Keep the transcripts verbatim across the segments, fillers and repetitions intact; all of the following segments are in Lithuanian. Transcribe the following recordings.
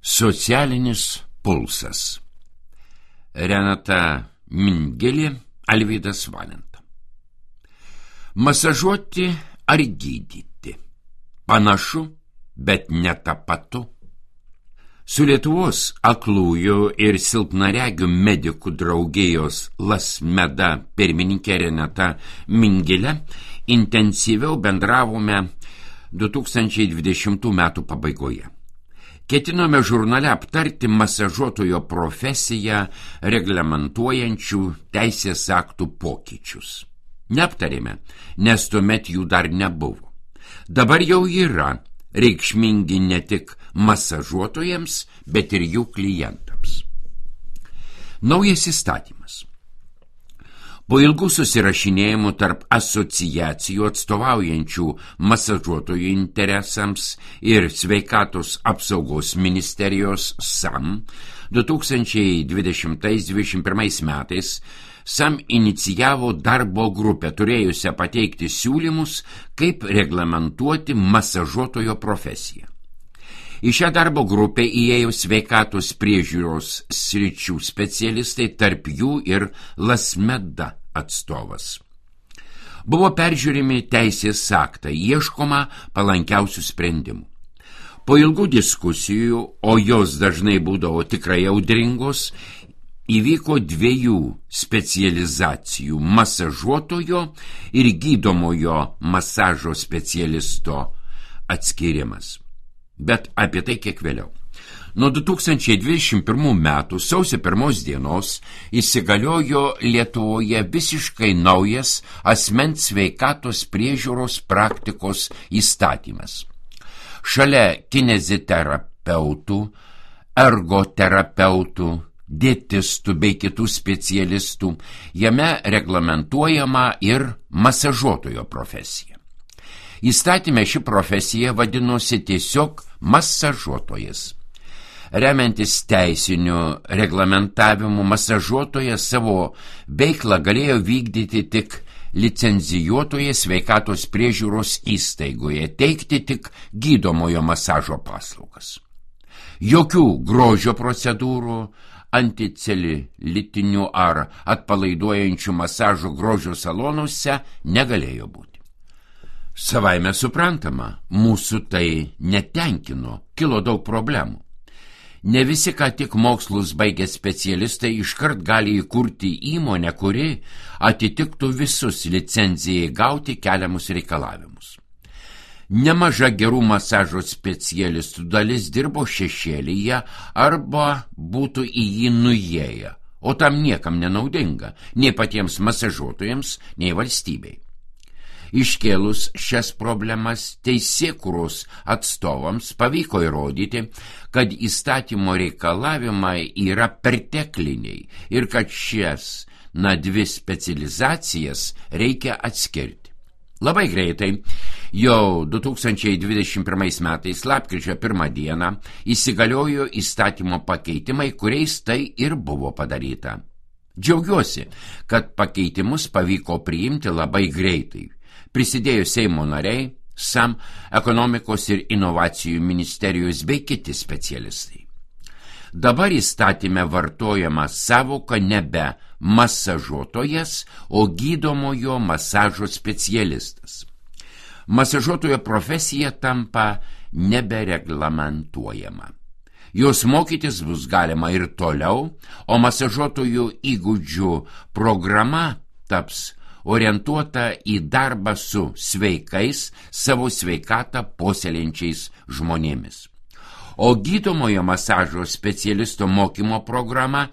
Socialinis pulsas. Renata Mingilė, Alvydas Valenta. Masažuoti ar gydyti? Panašu, bet netapatu. Su Lietuvos aklųjų ir silpnaregių medikų draugijos LASMEDA pirmininkė Renata Mingilė intensyviau bendravome du tūkstančiai dvidešimtų metų pabaigoje. Ketinome žurnale aptarti masažuotojo profesiją reglamentuojančių teisės aktų pokyčius. Neaptarėme, nes tuomet jų dar nebuvo. Dabar jau yra reikšmingi ne tik masažuotojams, bet ir jų klientams. Naujas įstatymas. Po ilgų susirašinėjimų tarp asociacijų atstovaujančių masažuotojų interesams ir sveikatos apsaugos ministerijos SAM du tūkstančiai dvidešimtais dvidešimt pirmais metais SAM inicijavo darbo grupę, turėjusią pateikti siūlymus, kaip reglamentuoti masažuotojo profesiją. Į šią darbo grupę įėjo sveikatos priežiūros sričių specialistai, tarp jų ir LASMEDA atstovas. Buvo peržiūrimi teisės aktą, ieškoma palankiausių sprendimų. Po ilgų diskusijų, o jos dažnai būdavo tikrai audringos, įvyko dviejų specializacijų – masažuotojo ir gydomojo masažo specialisto atskirimas. Bet apie tai kiek vėliau. Nuo du tūkstančiai dvidešimt pirmų metų sausio pirmos dienos įsigaliojo Lietuvoje visiškai naujas asmens sveikatos priežiūros praktikos įstatymas. Šalia kineziterapeutų, ergoterapeutų, dietistų bei kitų specialistų jame reglamentuojama ir masažuotojo profesija. Įstatyme ši profesija vadinosi tiesiog masažuotojas. Remiantis teisiniu reglamentavimu, masažuotojas savo veiklą galėjo vykdyti tik licencijuotoje sveikatos priežiūros įstaigoje, teikti tik gydomojo masažo paslaugas. Jokių grožio procedūrų, anticelulitinių ar atpalaiduojančių masažų grožio salonuose negalėjo būti. Savaime suprantama, mūsų tai netenkino, kilo daug problemų. Ne visi, ką tik mokslus baigę specialistai, iškart gali įkurti įmonę, kuri atitiktų visus licencijai gauti keliamus reikalavimus. Nemaža gerų masažo specialistų dalis dirbo šešėlyje arba būtų į jį nuėję, o tam niekam nenaudinga, nei patiems masažuotojams, nei valstybei. Iškėlus šias problemas teisėkūros atstovams pavyko įrodyti, kad įstatymo reikalavimai yra pertekliniai ir kad šias na dvi specializacijas reikia atskirti. Labai greitai, jau du tūkstančiai dvidešimt pirmais metais lapkričio pirmą dieną įsigaliojo įstatymo pakeitimai, kuriais tai ir buvo padaryta. Džiaugiuosi, kad pakeitimus pavyko priimti labai greitai. Prisidėjo Seimo nariai, SAM, ekonomikos ir inovacijų ministerijos bei kiti specialistai. Dabar įstatyme vartojama savoka nebe masažuotojas, o gydomojo masažo specialistas. Masažuotojo profesija tampa nebereglamentuojama. Jos mokytis bus galima ir toliau, o masažuotojų įgūdžių programa taps orientuota į darbą su sveikais, savo sveikatą puoselėjančiais žmonėmis. O gydomojo masažo specialisto mokymo programa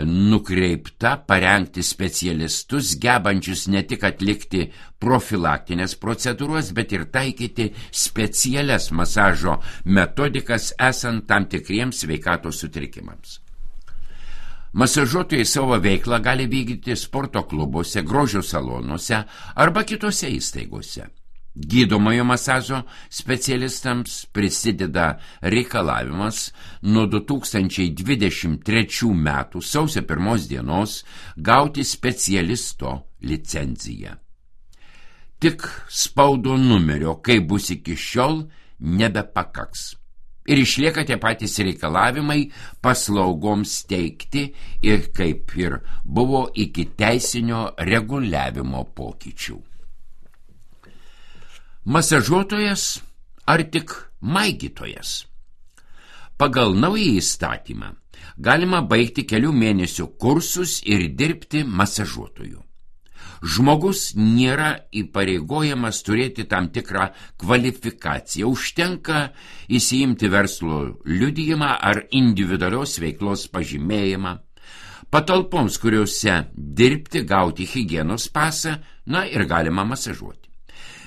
nukreipta parengti specialistus, gebančius ne tik atlikti profilaktinės procedūras, bet ir taikyti specialias masažo metodikas esant tam tikriems sveikatos sutrikimams. Masažuotojai savo veiklą gali vykdyti sporto klubuose, grožio salonuose arba kitose įstaigose. Gydomojo masažo specialistams prisideda reikalavimas nuo du tūkstančiai dvidešimt trečių metų sausio pirmos dienos gauti specialisto licenciją. Tik spaudo numerio, kaip bus iki šiol, nebepakaks. ir išlieka tie patys reikalavimai paslaugoms teikti ir kaip ir buvo iki teisinio reguliavimo pokyčių. Masažuotojas ar tik maigytojas? Pagal naują įstatymą galima baigti kelių mėnesių kursus ir dirbti masažuotoju. Žmogus nėra įpareigojamas turėti tam tikrą kvalifikaciją. Užtenka įsiimti verslo liudijimą ar individualios veiklos pažymėjimą. Patalpoms, kuriuose dirbti, gauti higienos pasą, na ir galima masažuoti.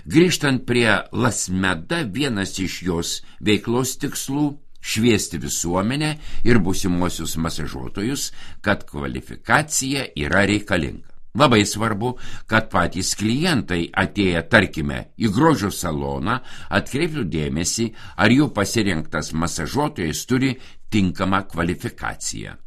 Grįžtant prie LASMEDA, vienas iš jos veiklos tikslų – šviesti visuomenę ir būsimuosius masažuotojus, kad kvalifikacija yra reikalinga. Labai svarbu, kad patys klientai atėję, tarkime, į grožio saloną, atkreiptų dėmesį, ar jų pasirinktas masažuotojas turi tinkamą kvalifikaciją.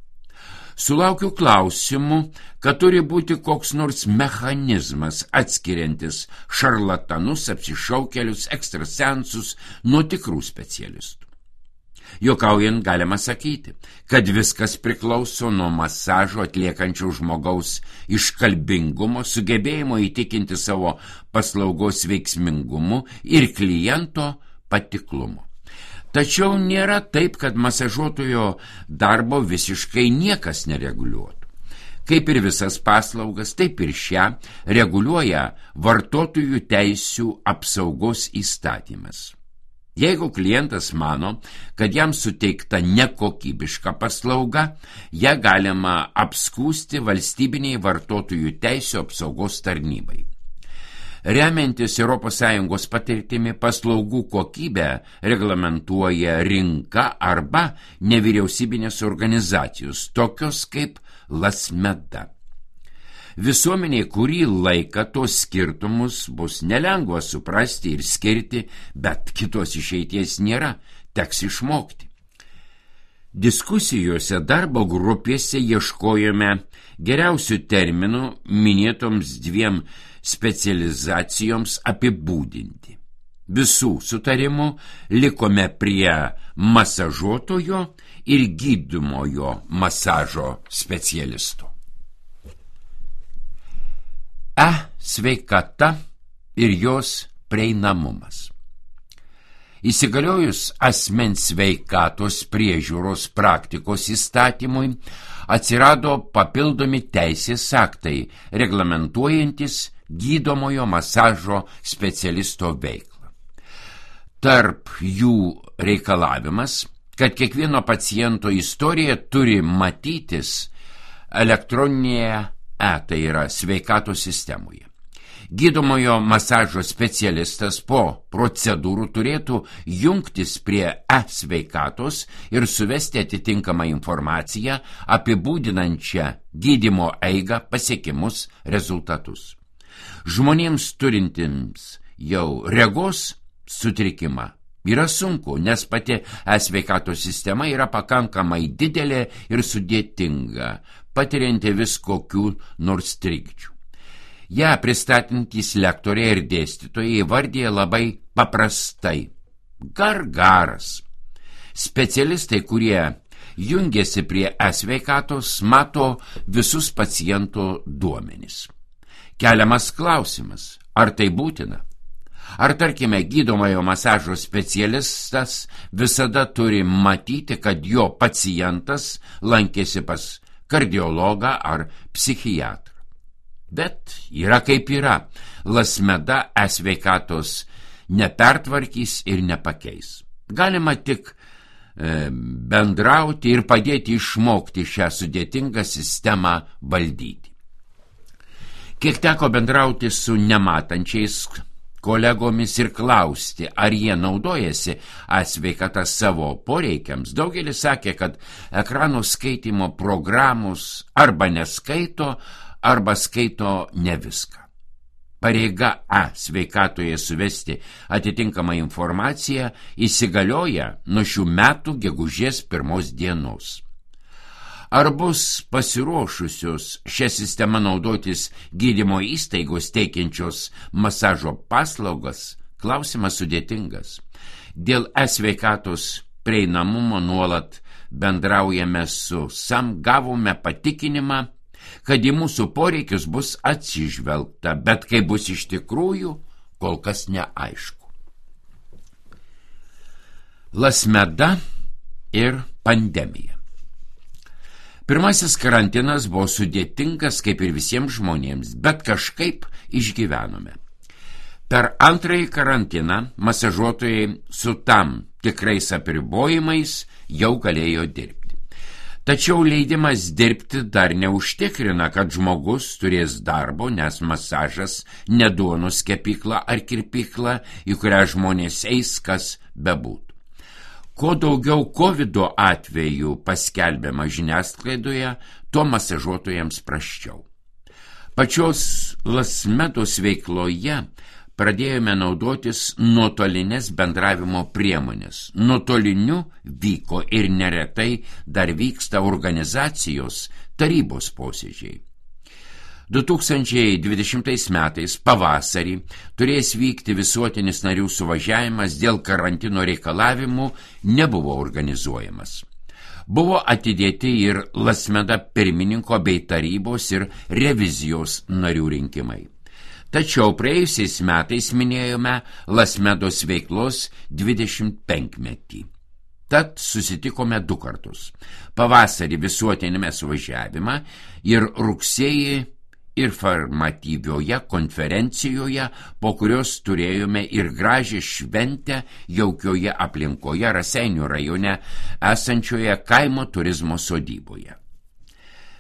Sulaukiu klausimų, kad turi būti koks nors mechanizmas atskiriantis šarlatanus, apsišaukėlius, ekstrasensus nuo tikrų specialistų. Juokaujant galima sakyti, kad viskas priklauso nuo masažo atliekančio žmogaus iškalbingumo, sugebėjimo įtikinti savo paslaugos veiksmingumu ir kliento patiklumu. Tačiau nėra taip, kad masažuotojo darbo visiškai niekas nereguliuotų. Kaip ir visas paslaugas, taip ir šią reguliuoja vartotojų teisių apsaugos įstatymas. Jeigu klientas mano, kad jam suteikta nekokybiška paslauga, ją galima apskųsti valstybiniai vartotojų teisių apsaugos tarnybai. Remiantis Europos Sąjungos patirtimi, paslaugų kokybę reglamentuoja rinka arba nevyriausybinės organizacijos, tokios kaip LASMEDA. Visuomeniai kurį laiką tos skirtumus bus nelengva suprasti ir skirti, bet kitos išeities nėra, teks išmokti. Diskusijose darbo grupėse ieškojome geriausių terminų minėtoms dviem specializacijoms apibūdinti. Visų sutarimų likome prie masažuotojo ir gydomojo masažo specialisto. E sveikata ir jos prieinamumas. Įsigaliojus asmens sveikatos priežiūros praktikos įstatymui, atsirado papildomi teisės aktai, reglamentuojantis gydomojo masažo specialisto veiklą. Tarp jų reikalavimas, kad kiekvieno paciento istorija turi matytis elektroninėje E, tai yra sveikatos sistemoje. Gydomojo masažo specialistas po procedūrų turėtų jungtis prie e-sveikatos ir suvesti atitinkamą informaciją apibūdinančią gydymo eigą, pasiekimus, rezultatus. Žmonėms turintiems jau regos sutrikimą yra sunku, nes pati e-sveikatos sistema yra pakankamai didelė ir sudėtinga, patirianti vis kokių nors trikdžių. Ja pristatantys lektoriai ir dėstytojai įvardija labai paprastai – gargaras. Specialistai, kurie jungiasi prie e-sveikatos, mato visus paciento duomenis. Keliamas klausimas, ar tai būtina? Ar, tarkime, gydomojo masažo specialistas visada turi matyti, kad jo pacientas lankėsi pas kardiologą ar psichiatrą. Bet yra kaip yra. LASMEDA e-sveikatos nepertvarkys ir nepakeis. Galima tik e, bendrauti ir padėti išmokti šią sudėtingą sistemą valdyti. Kiek teko bendrauti su nematančiais kolegomis ir klausti, ar jie naudojasi e-sveikata savo poreikiams, daugelis sakė, kad ekrano skaitimo programos arba neskaito, arba skaito ne viską. Pareiga e-sveikatoje suvesti atitinkamą informaciją įsigalioja nuo šių metų gegužės pirmos dienos. Ar bus pasiruošusios šią sistemą naudotis gydymo įstaigos teikiančios masažo paslaugas? Klausimas sudėtingas. Dėl e-sveikatos prieinamumo nuolat bendraujame su SAM, gavome patikinimą, kad į mūsų poreikius bus atsižvelgta, bet kai bus iš tikrųjų, kol kas neaišku. Lasmeda ir pandemija. Pirmasis karantinas buvo sudėtingas kaip ir visiems žmonėms, bet kažkaip išgyvenome. Per antrąjį karantiną masažuotojai su tam tikrais apribojimais jau galėjo dirbti. Tačiau leidimas dirbti dar neužtikrina, kad žmogus turės darbo, nes masažas ne duonos kepykla ar kirpykla, į kurią žmonės eis, kas bebūtų. Kuo daugiau kovido atvejų paskelbiama žiniasklaidoje, tuo masažuotojams prasčiau. Pačios Lasmedos veikloje pradėjome naudotis nuotolinės bendravimo priemonės. Nuotoliniu vyko ir neretai dar vyksta organizacijos tarybos posėdžiai. du tūkstančiai dvidešimtais metais pavasarį turės vykti visuotinis narių suvažiavimas, dėl karantino reikalavimų nebuvo organizuojamas. Buvo atidėti ir Lasmeda pirmininko bei tarybos ir revizijos narių rinkimai. Tačiau praėjusiais metais minėjome Lasmedos veiklos dvidešimt penkmetį. Tad susitikome du kartus. Pavasarį visuotinėme suvažiavime ir rugsėjį informatyvioje konferencijoje, po kurios turėjome ir gražią šventę jaukioje aplinkoje Raseinių rajone esančioje kaimo turizmo sodyboje.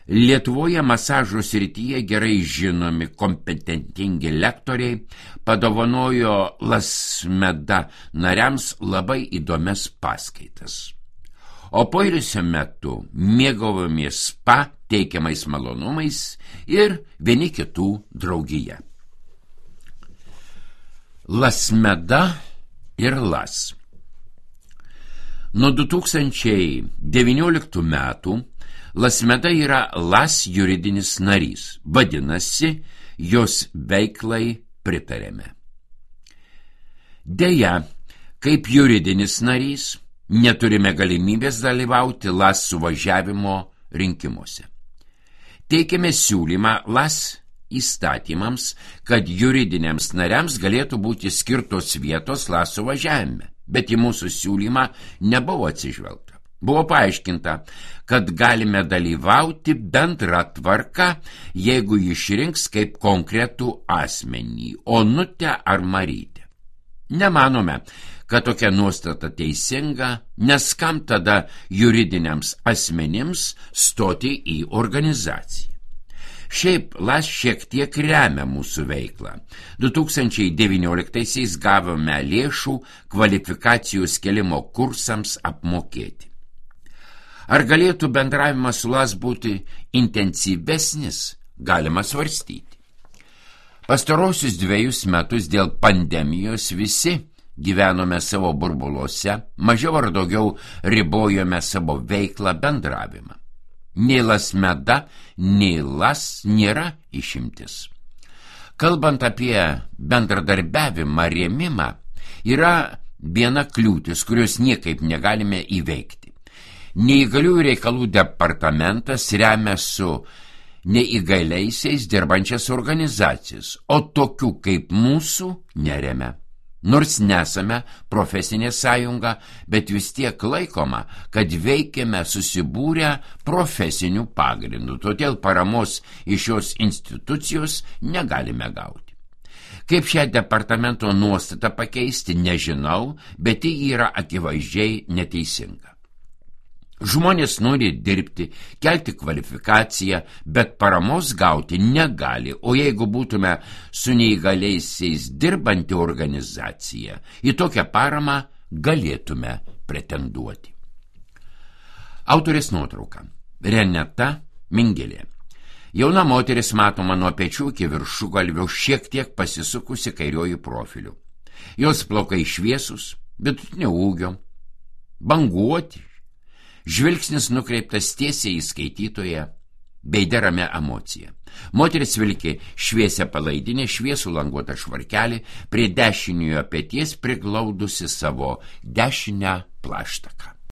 Lietuvoje masažo srityje gerai žinomi kompetentingi lektoriai padovanojo Lasmeda nariams labai įdomias paskaitas. O poilsio metu mėgavomės spa teikiamais malonumais ir vieni kitų draugija. Lasmeda ir Las. Nuo du tūkstančiai devynioliktų metų Lasmeda yra Las juridinis narys, vadinasi, jos veiklai pritarėme. Deja, kaip juridinis narys, neturime galimybės dalyvauti Las suvažiavimo rinkimuose. Teikėme siūlymą Las įstatymams, kad juridiniams nariams galėtų būti skirtos vietos Las suvažiavime, bet į mūsų siūlymą nebuvo atsižvelgta. Buvo paaiškinta, kad galime dalyvauti bendrą tvarką, jeigu išrinks kaip konkretų asmenį, Onutę ar Marytę. Nemanome, kad tokia nuostata teisinga, nes kam tada juridiniams asmenims stoti į organizaciją. Šiaip Las šiek tiek remia mūsų veiklą. du tūkstančiai devynioliktaisiais gavome lėšų kvalifikacijos kėlimo kursams apmokėti. Ar galėtų bendravimas su Las būti intensyvesnis, galima svarstyti. Pastarosius dviejus metus dėl pandemijos visi gyvenome savo burbuluose, mažiau ar daugiau ribojome savo veiklą bendravimą. Nei Lasmeda, nei Las nėra išimtis. Kalbant apie bendradarbiavimą, rėmimą, yra viena kliūtis, kurios niekaip negalime įveikti. Neįgaliųjų reikalų departamentas remia su neįgaliaisiais dirbančias organizacijas, o tokių kaip mūsų neremia. Nors nesame profesinė sąjunga, bet vis tiek laikoma, kad veikiame susibūrę profesinių pagrindų, todėl paramos iš šios institucijos negalime gauti. Kaip šią departamento nuostatą pakeisti, nežinau, bet ji yra akivaizdžiai neteisinga. Žmonės nori dirbti, kelti kvalifikaciją, bet paramos gauti negali, o jeigu būtume su neįgaliaisiais dirbanti organizacija, į tokią paramą galėtume pretenduoti. Autorės nuotrauka. Renata Mingelė. Jauna moteris matoma nuo pečių iki viršugalvio, šiek tiek pasisukusi kairiuoju profiliu. Jos plaukai šviesus, vidutinio ūgio, banguoti. Žvilgsnis nukreiptas tiesiai į skaitytoją, bei derame emociją. Moteris vilki šviesią palaidinę, šviesų languotą švarkelį, prie dešiniojo peties priglaudusi savo dešinę plaštaką.